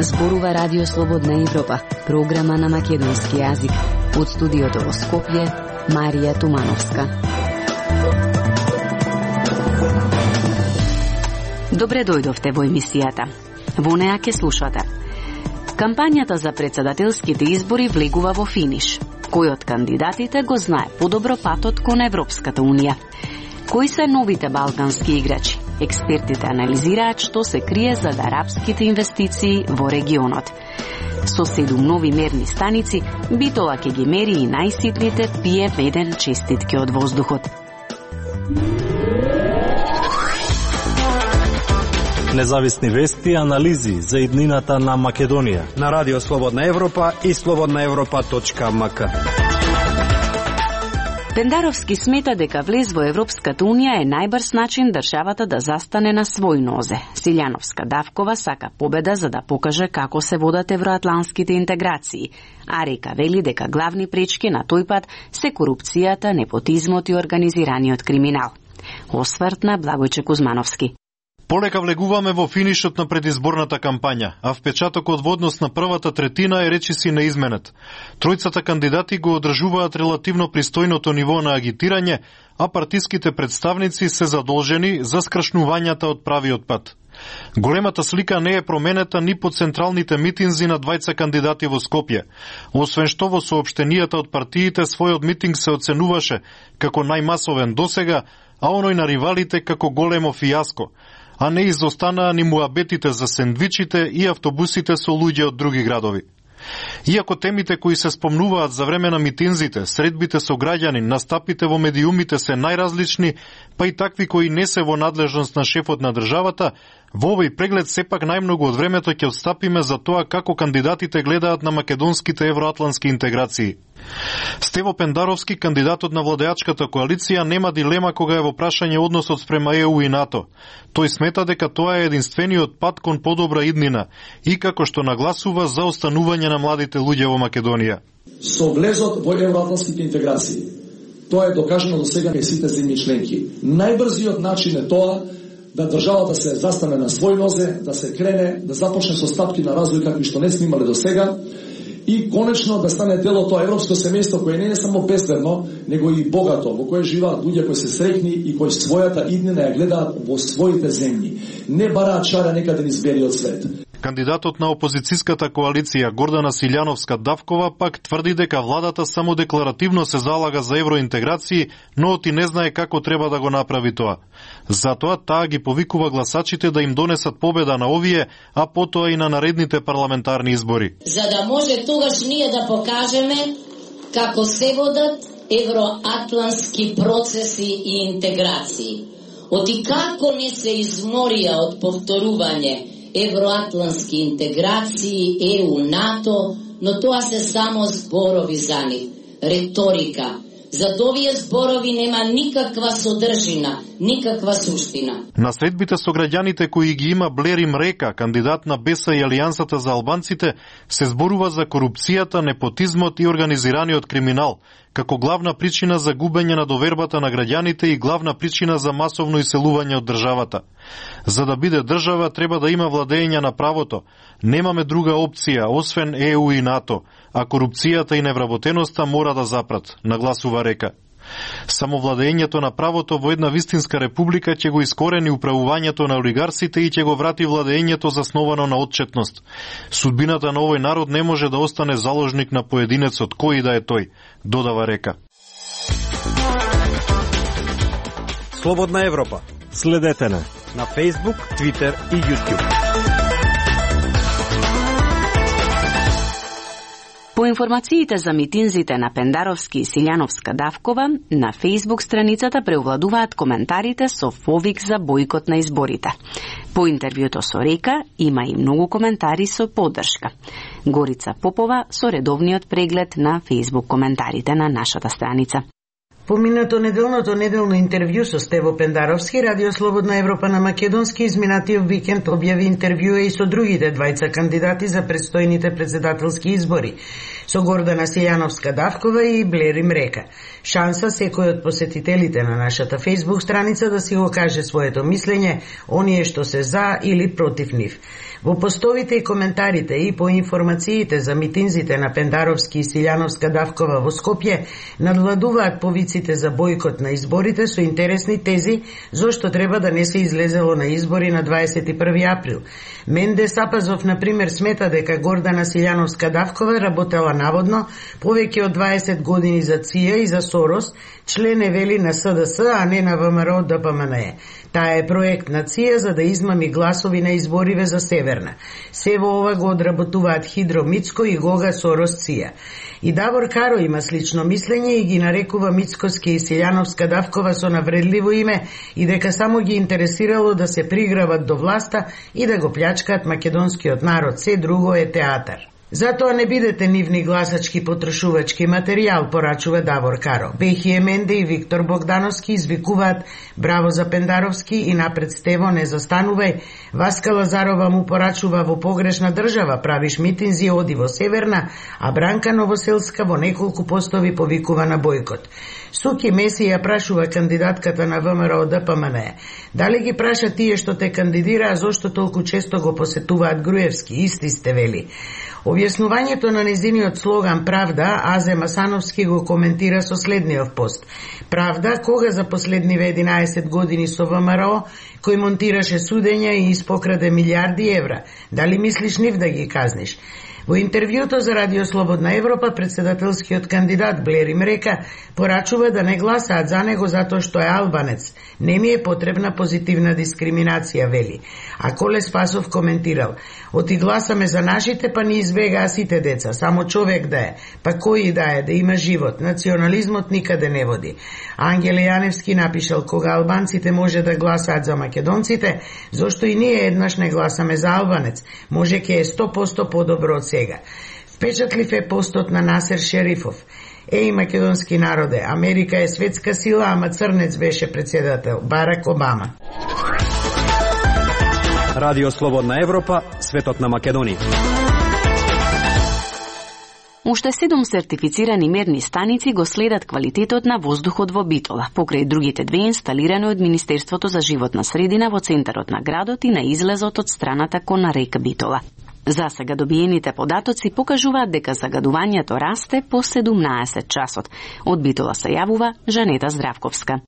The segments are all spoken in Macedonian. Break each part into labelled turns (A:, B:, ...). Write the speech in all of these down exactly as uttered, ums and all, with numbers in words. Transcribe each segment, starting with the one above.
A: Зборува Радио Слободна Европа, програма на македонски јазик. Од студиото во Скопје, Марија Тумановска. Добре дојдовте во емисијата. Во неа ке слушате. Кампањата за председателските избори влегува во финиш. Кој од кандидатите го знае подобро патот кон Европската Унија? Кои се новите балкански играчи? Експертите анализираат што се крие зад арапските инвестиции во регионот. Со седум нови мерни станици, Битола ќе ги мери и најситните пи ем еден честитки од воздухот.
B: Независни вести и анализи за иднината на Македонија
C: на Радио Слободна Европа и слободна европа точка ем ка.
A: Пендаровски смета дека влез во Европската Унија е најбрз начин државата да застане на свој нозе. Силјановска Давкова сака победа за да покаже како се водат евроатланските интеграции, а Река вели дека главни пречки на тој пат се корупцијата, непотизмот и организираниот криминал. Осврт на Благојче Кузмановски.
D: Полека влегуваме во финишот на предизборната кампања, а впечатокот во однос на првата третина е речиси неизменет. Тројцата кандидати го одржуваат релативно пристојното ниво на агитирање, а партиските представници се задолжени за скршнувањата од правиот пат. Големата слика не е променета ни по централните митинзи на двајца кандидати во Скопје. Освен што во соопштенијата од партиите својот митинг се оценуваше како најмасовен досега, а оној на ривалите како големо фијаско, а не изостанаа ни муабетите за сендвичите и автобусите со луѓе од други градови. Иако темите кои се спомнуваат за време на митинзите, средбите со граѓани, настапите во медиумите се најразлични, па и такви кои не се во надлежност на шефот на државата, во овој преглед сепак најмногу од времето ќе отстапиме за тоа како кандидатите гледаат на македонските евроатлански интеграции. Стево Пендаровски, кандидатот на владеачката коалиција, нема дилема кога е во прашање односот спрема е у и НАТО. Тој смета дека тоа е единствениот пат кон подобра иднина и како што нагласува за останување на младите луѓе во Македонија.
E: Со влезот во евроатланските интеграции, тоа е докажано до сега кај сите земји членки. Најбрзиот начин е тоа да државата се застане на свој нозе, да се крене, да започне со стапки на развој какви што не сме имале до сега, и конечно да стане дел од тоа европско семејство кое не е само безбедно, него и богато, во кое живеат луѓе кои се среќни и кои својата иднина ја гледаат во своите земји. Не бараат чара некаде низ белиот свет.
D: Кандидатот на опозицијската коалиција Гордана Силјановска Давкова пак тврди дека владата само декларативно се залага за евроинтеграции, но оти не знае како треба да го направи тоа. Затоа таа ги повикува гласачите да им донесат победа на овие, а потоа и на наредните парламентарни избори.
F: За да може тогаш ние да покажеме како се водат евроатлански процеси и интеграции. Оти како не се изморија од повторување евроатлански интеграции, е у, НАТО, но тоа се само зборови за нив, реторика. Зад овие зборови нема никаква содржина, никаква суштина.
D: На средбите со граѓаните кои ги има Блери Мрека, кандидат на БЕСА и Алијансата за албанците, се зборува за корупцијата, непотизмот и организираниот криминал, како главна причина за губење на довербата на граѓаните и главна причина за масовно иселување од државата. За да биде држава треба да има владење на правото. Немаме друга опција освен е у и НАТО, а корупцијата и невработеноста мора да запрат, нагласува Река. Само владењето на правото во една вистинска република ќе го искорени управувањето на олигарсите и ќе го врати владењето засновано на отчетност. Судбината на овој народ не може да остане заложник на поединецот кој да е тој, додава Река.
C: Слободна Европа.
B: Следете на
C: на Facebook, Twitter и YouTube.
A: По информациите за митинзите на Пендаровски и Силјановска Давкова, на Facebook страницата преовладуваат коментарите со повик за бойкот на изборите. По интервјуто со Река има и многу коментари со поддршка. Горица Попова со редовниот преглед на Facebook коментарите на нашата страница.
G: Поминато неделното неделно интервју со Стево Пендаровски, Радио Слободна Европа на македонски изминатиот викенд објави интервјуа и со другите двајца кандидати за предстојните председателски избори, со Гордана Силјановска-Давкова и Блери Мрека. Шанса секој од посетителите на нашата Facebook страница да си го каже своето мислење, оние што се за или против нив. Во постовите и коментарите и по информациите за митинзите на Пендаровски и Силјановска-Давкова во Скопје надвладуваат повиците за бојкот на изборите со интересни тези зошто треба да не се излезело на избори на дваесет и први април. Менде Сапазов, например, смета дека Гордана Силјановска-Давкова работела наводно повеќе од дваесет години за ЦИА и за Сорос, член е вели на СДС, а не на ВМРО ДПМНЕ. Таа е проект на ЦИА за да измами гласови на избориве за Северна. Се во ова го одработуваат Хидро Мицко и Гога Сорос ЦИА. И Давор Каро има слично мислење и ги нарекува Мицковски и Силјановска-Давкова со навредливо име и дека само ги интересирало да се приграват до власта и да го плячкаат македонскиот народ. Се друго е театар. Затоа не бидете нивни гласачки потрошувачки материјал, порачува Давор Каро. Бехи Менде и Виктор Богдановски извикуваат браво за Пендаровски и напред Стево не застанувај. Васка Лазарова му порачува во погрешна држава, правиш митинзи, оди во Северна, а Бранка Новоселска во неколку постови повикува на бојкот. Суки Меси ја прашува кандидатката на ВМРО ДПМНЕ. Дали ги праша тие што те кандидираа, зошто толку често го посетуваат Груевски? Исти сте, вели. Објаснувањето на незиниот слоган Правда, Азе Масановски го коментира со следниот пост. Правда, кога за последниве единаесет години со ВМРО, кој монтираше судења и испокраде милиарди евра. Дали мислиш нив да ги казниш? Во интервјуто за Радио Слободна Европа, председателскиот кандидат Блери Мрека порачува да не гласаат за него затоа што е албанец. Не ми е потребна позитивна дискриминација, вели. А Коле Спасов коментирал: оти гласаме за нашите, па ни избегаа сите деца, само човек да е, па кој да е, да има живот, национализмот никаде не води. Ангеле Јаневски напишал: кога албанците може да гласаат за македонците, зошто и ние еднаш не гласаме за албанец, може ке е сто посто подобро од сега. Впечатлив е постот на Насер Шерифов. Еј, македонски народе, Америка е светска сила, ама црнец беше председател, Барак Обама.
C: Радио Слободна Европа, светот на Македонија.
A: Уште седум сертифицирани мерни станици го следат квалитетот на воздухот во Битола, покрај другите две инсталирани од Министерството за животна средина во центарот на градот и на излезот од страната кон река Битола. За сега добиените податоци покажуваат дека загадувањето расте по седумнаесет часот. Од Битола се јавува Жанета Здравковска.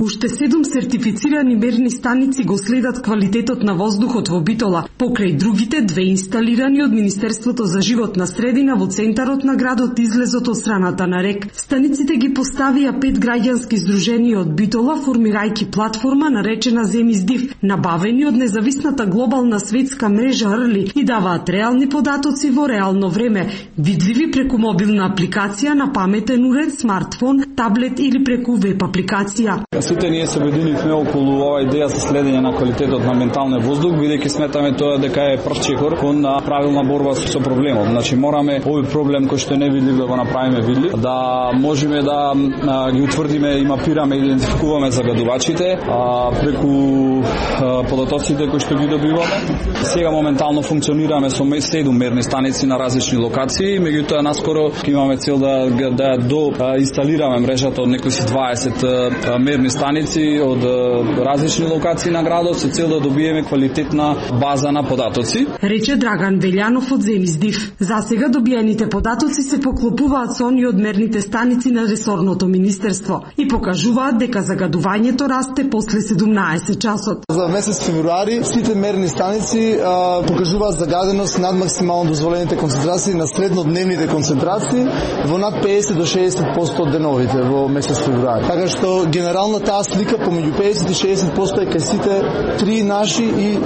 H: Уште седум сертифицирани мерни станици го следат квалитетот на воздухот во Битола, покрај другите две инсталирани од Министерството за животна средина во центарот на градот излезот од страната на рек. Станиците ги поставија пет граѓански здруженија од Битола, формирајќи платформа наречена Земиздив, набавени од независната глобална светска мрежа Рли и даваат реални податоци во реално време, видливи преку мобилна апликација на паметен уред, смартфон, таблет или преку веб апликација.
I: Сите ние се обединивме околу оваа идеја за следење на квалитетот на менталниот воздух, бидејќи сметаме тоа дека е прв чекор кон правилна борба со проблемот. Значи мораме овој проблем кој што е невидлив да го направиме видлив, да можеме да а, ги утврдиме и мапираме и идентификуваме загадувачите а, преку а, податоците кои што ги добиваме. Сега моментално функционираме со седум мерни станици на различни локации, меѓутоа наскоро имаме цел да да до а, инсталираме мрежата од некои дваесет а, мерни станици од различни локации на градот со цел да добиеме квалитетна база на податоци.
H: Рече Драган Велјанов од Земиздив. За сега добиените податоци се поклопуваат со оние од мерните станици на ресорното министерство и покажуваат дека загадувањето расте после седумнаесет часот.
J: За месец февруари сите мерни станици а, покажуваат загаденост над максимално дозволените концентрации на среднодневните концентрации во над педесет до шеесет проценти од деновите во месец февруари. Така што генерално таа слика помеѓу педесет и шеесет проценти е кај сите три наши и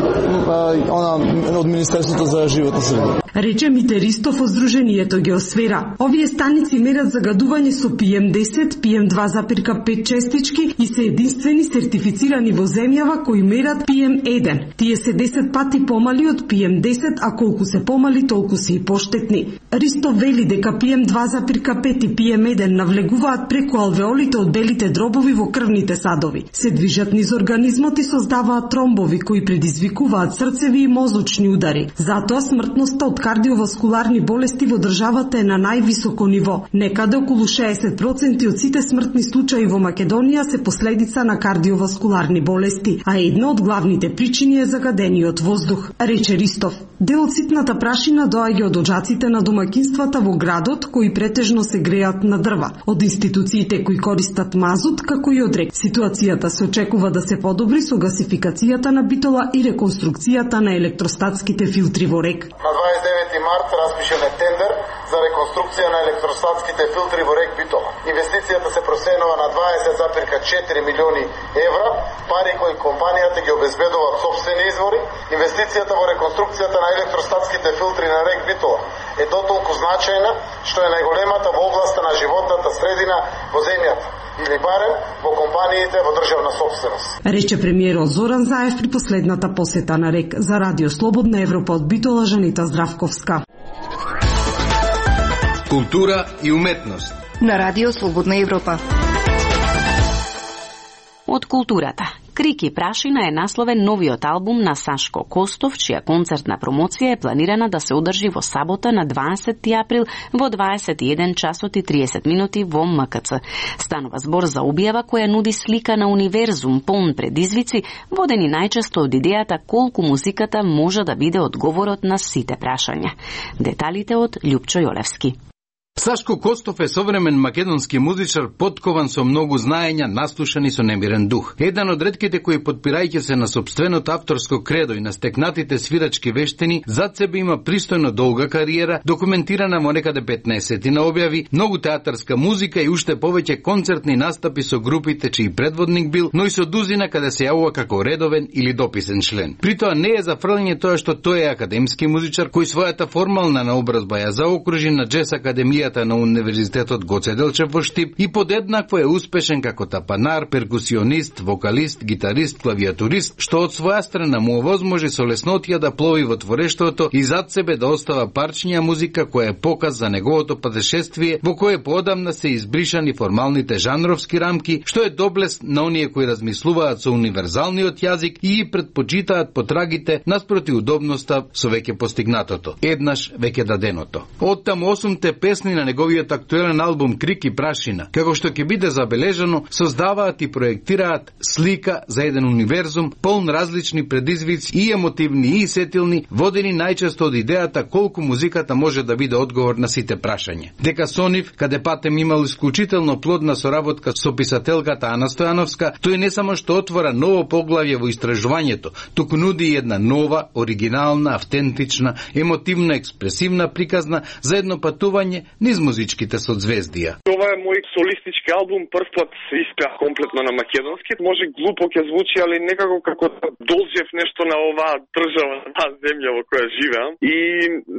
J: а, она од Министерството за животна средина.
H: рече Мите Ристов од Сдруженијето Геосфера. Овие станици мерат загадување со пи ем десет, пи ем два запирка пет честички и се единствени сертифицирани во земјава кои мерат пи ем еден. Тие се десет пати помали од пи ем десет, а колку се помали, толку се и поштетни. Ристов вели дека пи ем два запирка пет и пи ем еден навлегуваат преку алвеолите од белите дробови во крвните садови. Се движат низ организмот и создаваат тромбови кои предизвикуваат срцеви и мозочни удари. Затоа смртноста од кардиоваскуларни болести во државата е на највисоко ниво. Некаде околу шеесет проценти од сите смртни случаи во Македонија се последица на кардиоваскуларни болести, а една од главните причини е загадениот воздух, рече Ристов. Дел од ситната прашина доаѓа од оџаците на домаќинствата во градот, кои претежно се греат на дрва, од институциите кои користат мазут, како и од рек. Ситуацијата се очекува да се подобри со гасификацијата на Битола и реконструкцијата на електростатските филтри во рек.
K: На дваесет и девети март распишен е тендер за реконструкција на електростатските филтри во рек Битола. Инвестицијата се проценува на дваесет запирка четири милиони евра, пари кои компанијата ги обезбедува од сопствени извори. Инвестицијата во реконструкцијата на електростатските филтри на рек Битола е дотолку значајна што е најголемата во областа на животната средина во земјата, или барем во компаниите во државна сопственост.
H: Рече премиерот Зоран Заев при последната посета на рек. За Радио Слободна Европа од Битола, Жанита Здравковска.
L: Култура и уметност
M: на Радио Слободна Европа.
A: Од културата. Крик и прашина е насловен новиот албум на Сашко Костов, чија концертна промоција е планирана да се одржи во сабота на дваесети април во дваесет и еден часот и триесет минути во М К Ц. Станува збор за објава која нуди слика на универзум полн предизвици, водени најчесто од идејата колку музиката може да биде одговорот на сите прашања. Деталите од Љупчо Јолевски.
L: Сашко Костов е современ македонски музичар, поткован со многу знаења, наслушан и со немирен дух. Еден од ретките кои, подпирајќи се на сопственото авторско кредо и на стекнатите свирачки вештини, зад себе има пристојно долга кариера, документирана во некаде петнаесетина објави, многу театарска музика и уште повеќе концертни настапи со групите чиј предводник бил, но и со дузина каде се јавува како редовен или дописен член. При тоа не е зафрлање тоа што тој е академски музичар кој својата формална наобразба ја заокружи на Джез Академија на Универзитетот Гоце Делчев во Штип и подеднакво е успешен како тапанар, перкусионист, вокалист, гитарист, клавиатурист, што од своја страна му овозможи со леснотија да плови во творештвото и зад себе да остава парчиња музика која е показ за неговото патешествие во кое поодамна се избришани формалните жанровски рамки, што е доблес на оние кои размислуваат со универзалниот јазик и ги предпочитаат потрагите наспроти удобноста со веќе постигнатото. Еднаш веќе даденото. Оттаму осумте песни на неговиот актуелен албум Крик и прашина, како што ќе биде забележано, создаваат и проектираат слика за еден универзум полн различни предизвици и емотивни и сетилни, водени најчесто од идејата колку музиката може да биде одговор на сите прашања. Дека со нив, каде патем имал исклучително плодна соработка со писателката Ана Стојановска, тој не само што отвора ново поглавје во истражувањето, туку нуди и една нова, оригинална, автентична, емотивна, експресивна приказна за едно патување низ музичките созвездија.
N: Ова е мој солистички албум, прв пат испеа комплетно на македонски. Може глупо ќе звучи, али некако како да должев нешто на оваа држава, на оваа земја во која живеам. И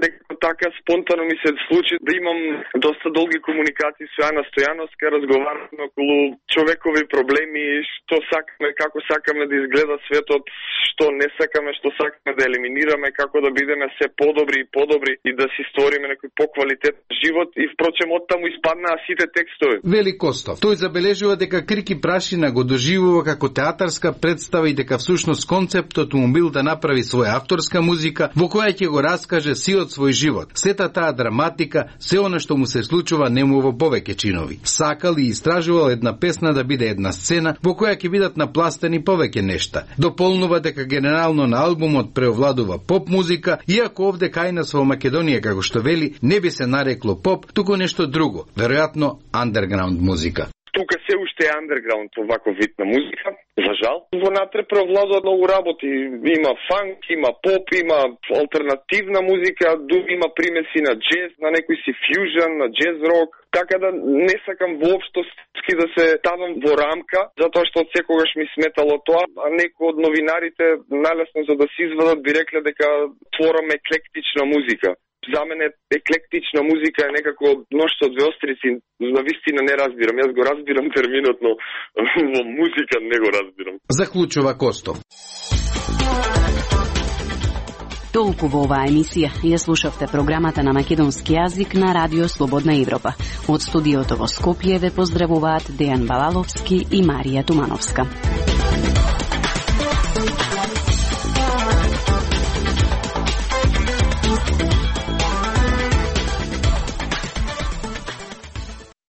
N: некако така спонтано ми се случи да имам доста долги комуникации со Ана Стојановска, разговараме околу човекови проблеми, што сакаме, како сакаме да изгледа светот, што не сакаме, што сакаме да елиминираме, како да бидеме се подобри и подобри и да си створиме некој поквалитетен живот. И впрочем оттаму испаднаа сите текстови.
L: Вели Костов. Тој забележува дека Крик и прашина го доживува како театарска представа и дека всушност концептот му бил да направи своја авторска музика во која ќе го раскаже сиот свој живот. Сета таа драматика, се она што му се случува нему во повеќе чинови. Сакал и истражувал една песна да биде една сцена во која ќе бидат напластени повеќе нешта. Дополнува дека генерално на албумот преовладува поп музика, иако овде кај нас во Македонија, како што вели, не би се нарекло поп, туку нешто друго, веројатно андерграунд музика.
N: Тука се уште е андерграунд оваков вид на музика, за жал. Вонатре преовладуваат многу работи. Има фанк, има поп, има алтернативна музика, дури има примеси на джез, на некој си фјужен, на джез рок. Така да не сакам воопшто да се ставам во рамка, затоа што од секогаш ми сметало тоа, а некои од новинарите налесно за да се извадат би рекле дека творам еклектична музика. За мене еклектична музика е некако мношто од две острици, на вистина не разбирам. Јас го разбирам терминот, но во музика не го разбирам.
L: Заклучува Костов.
A: Толку во оваа емисија. Ја слушавте програмата на македонски јазик на Радио Слободна Европа. Од студиото во Скопје ве поздравуваат Дејан Балаловски и Марија Тумановска.